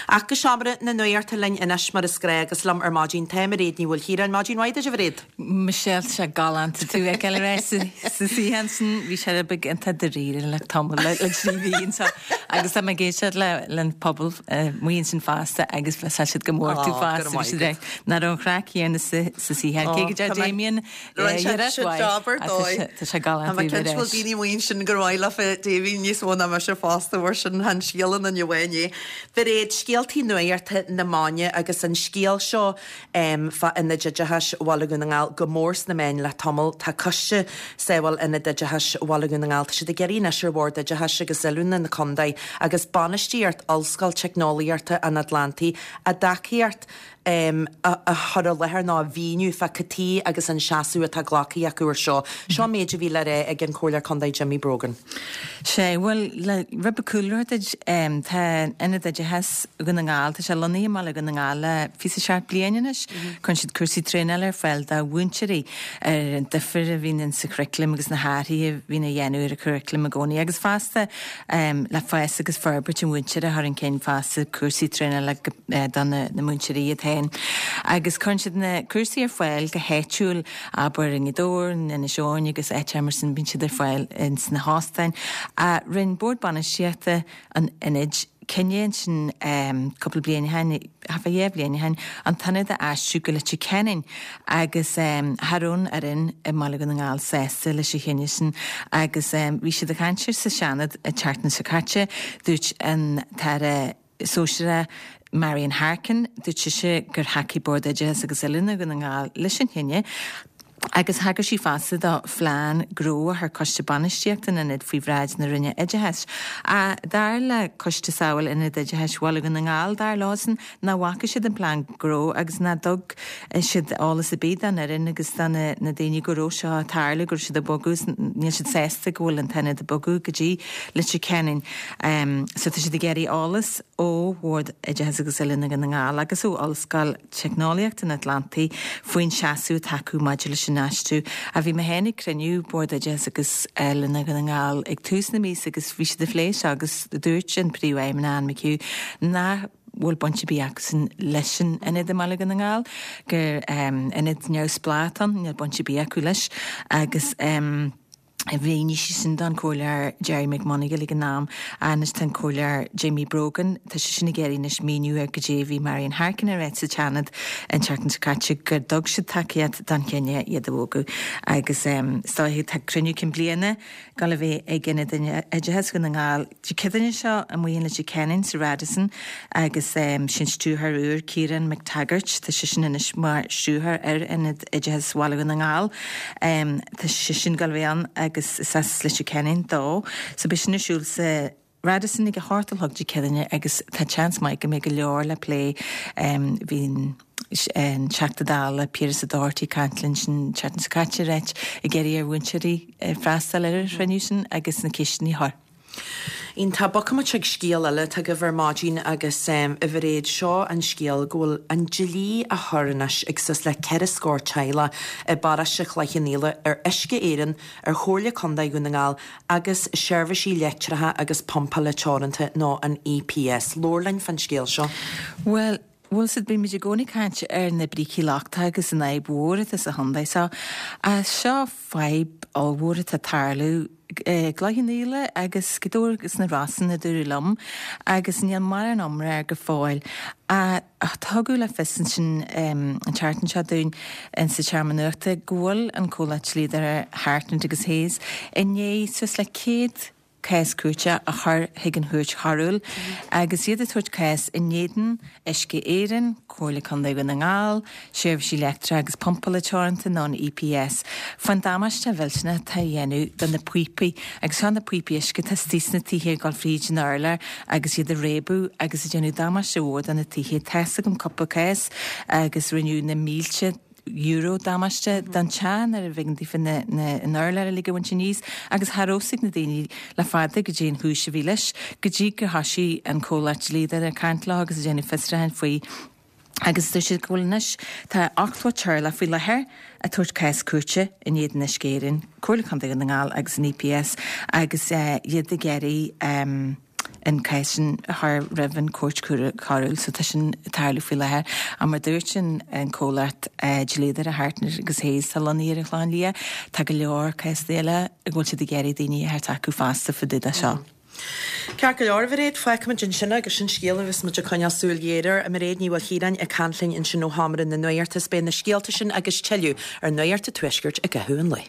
Ach go seomra na nuachta linn anois mar is gnách agus liom ar maidin tá Mairéad Ní Mhaoilchiaráin. Maidin mhaith duit a Mhairéad. Michelle, tá sé galánta tú a fheiceáil ar ais sa suíochán sin. Bhí sé rud beag iontach dáiríre le tamall le trí mhí anseo agus tá mé ag éisteacht le an pobal amuigh ansin fosta agus tá siad go mór tú fosta. Bhí siad ag nach raibh an chraic chéanna sa suíochán. Cé go deir Damien Rinne sé jab ar dóigh. Tá sé galánta Tá mé cinnte go bhfuil daoine amuigh ansin gur mhaith leofa Damien níos mó ná mise fosta mar sin chan scéal aon duine amháin é. Mhairéad, scéaltaí nuachta na maidine agus an scéal seo fá Ionad Oideachais Bhaile Dhún na nGall go mór sna meáin le tamall. Tá Coiste Sábháil Ionad Oideachais Bhaile Dhún na nGall, tá siad ag iarraidh anois ar Bhord Oideachais agus Oiliúna na Contae agus bainistíocht Ollscoil Teicneolaíochta an Atlantaigh a dtacaíocht a chur i láthair nó a mhíniú fá cad tuige agus an seasamh atá glactha acu air seo. Seo an méid a bhí le rá ag an Comhairleoir Contae Jimmy Brogan. Sea, bhuel, le rud beag cúlra a thabhairt duit, tá Ionad Oideachais Dhún na nGall, tá sé lonnaithe i mBaile Dhún na nGall le 27 bliain anois. Cuireann siad cúrsaí traenála ar fáil do mhúinteoirí ar an difear a bhíonn sa churriculum agus na hathruithe a bhíonn á dhéanamh ar an churriculum i gcónaí agus fosta le fás agus forbairt an mhúinteora a chur chun cinn fosta, cúrsaí traenála do na múinteoirí iad féin. Agus cuireann siad na cúrsaí ar fáil go háitiúil, abair i nGaoth Dobhair, in Inis Eoghain agus áiteacha mar sin, bíonn siad ar fáil ins na hóstáin. Rinne Bord Bainistíochta an Ionaid cinneadh ansin cúpla bliain ó shin, thart fá dhá bhliain ó shin, an t-ionad a aistriú go Leitir Ceanainn agus cha raibh an fhoireann i mBaile Dhún na nGall sásta leis an chinneadh sin agus bhí siad ag caint air sa Seanad an tseachtain seo caite. Dúirt an tAire Sóisearach Marian Harkin, dúirt sise gur thacaigh Bord Oideachais agus Oiliúna Dhún na nGall leis an chinneadh agus thagair sí fosta do phlean gnó a chuir Coiste Bainistíochta an Ionaid faoi bhráid na Roinne Oideachais. Dar le Coiste Sábháil Ionad Oideachais Bhaile Dhún na nGall, dar leosan nach bhfaca siad an plean gnó agus nach dtug siad eolas ar bith don fhoireann agus do na daoine go raibh seo ag tarlú, go raibh siad ag bogadh, níl siad sásta go bhfuil an t-ionad ag bogadh go dtí Leitir Ceanainn. So tá siad ag iarraidh eolas ó Bhord Oideachais agus Oiliúna Dhún na nGall agus ó Ollscoil Teicneolaíochta an Atlantaigh faoin seasamh atá acu maidir leis an aistriú. A bhí mé féin ag cruinniú Bord Oideachais agus Oiliúna Dhún na nGall ag tús na míosa agus bhí siad ag plé seo agus dúirt an Príomhfheidhmeannach Anne McHugh nach bhfuil baint ar bith acusan leis an ionad i mBaile Dhún na nGall, gur ionad neamhspleách atá ann, níl baint ar bith acu leis agus mhínigh sí sin don Chomhairleoir Gerry McMonagle ag an am. Anois tá an Comhairleoir Jimmy Brogan, tá seisean ag iarraidh anois míniú ar goidé a bhí Marian Harkin a rá sa tSeanad an tseachtain seo caite gur dtug siad tacaíocht don chinneadh iad a bhogadh agus is dóiche tá cruinniú cinn bliana ag dul a bheith ag Ionad Oideachais Dhún na nGall Dé Céadaoine seo amuigh in Leitir Ceanainn sa Radisson agus sin stiúrthóir úr, Ciarán McTaggart, tá seisean anois mar stiúrthóir ar Ionad Oideachais Bhaile Dhún na nGall. Tá seisean ag dul a bheith ann agus is as Leitir Ceanainn dó. So beidh sin ar siúl sa Radisson ag a hocht a chlog Dé Céadaoine agus tá seans maith go mbeidh go leor le plé. Bhí an Teachta Dála Piaras Ó Dochartaigh ag caint linn an tseachtain seo caite ag iarraidh ar mhúinteoirí freastal ar an chruinniú sin agus na ceisteanna a chur. Iontach. Bogfaimid chuig scéal eile atá agaibh ar maidin agus a Mhairéad, seo an scéal go bhfuil an dlí á chur anois ag suas le ceithre scór teaghlach i bparóiste Chloich Cheann Fhaola ar Uisce Éireann, ar Chomhairle Contae Dhún na nGall agus Seirbhísí Leictreacha agus Pumpála Teoranta nó an EPS. Labhair linn fán scéal seo. Bhuel, bhfuil 's a'd, bímid i gcónaí ag caint ar na brící lochtacha agus an fhadhb mhór atá sa chontae seo. Ach seo fadhb ollmhór atá ag tarlú i gCloich Cheann Fhaola agus Gaoth Dobhair agus na Rosann a dúradh liom agus níl mórán iomrá air go fóill. Ach tugadh le fios ansin an tseachtain seo dúinn in sa tSeomra Nuachta go bhfuil an comhlacht dlíodóra Hartnett agus Hayes i ndiaidh suas le 100 cás cúirte a chur chuig an Chúirt Choiriúil agus iad ag tabhairt cás in éadan Uisce Éireann, Comhairle Contae Dhún na nGall, Seirbhísí Leictreacha agus Pumpála Teoranta nó an EPS, fán damáiste mhillteanach atá á dhéanamh do na píopaí agus seo na píopaí uisce atá istigh sna tithe ag dul fríd an urlár agus iad ag réabadh agus ag déanamh damáiste mhór do na tithe. Tá's agam cúpla cás agus rinneadh na mílte euro damáiste don teach nuair a b'éigean daofa an urlár uilig a bhaint aníos agus cha raibh 's ag na daoine le fada goidé an chúis a bhí leis go dtí gur thoisigh an comhlacht dlíodóra ag caint leo agus ag déanamh fiosrúcháin faoi agus dúirt siad go bhfuil anois tá 80 teaghlach faoi láthair ag tabhairt cás cúirte in éadan Uisce Éireann, Comhairle Contae Dhún na nGall agus an EPS agus iad ag iarraidh. an cás sin a chur roimh an Chúirt Choiriúil so tá sin ag tarlú faoi láthair. Ach mar dúirt an comhlacht dlíodóireachta Hartnett agus Hayes atá lonnaithe ar an Chlochán Liath, tá go leor cásanna eile a bhfuil siad ag iarraidh daoine a thabhairt acu fosta fá dtaobh de seo. Ceart go leor, a Mhairéad, fágfaimid ansin é agus sin scéal a bheas muid ag coinneáil súil ghéar air. Mairéad Ní Mhaoilchiaráin ag caint linn ansin ó Sheomra na Nuachta. Is beidh na scéalta sin agus tuilleadh ar Nuacht an Tuaiscirt i gcaitheamh an lae.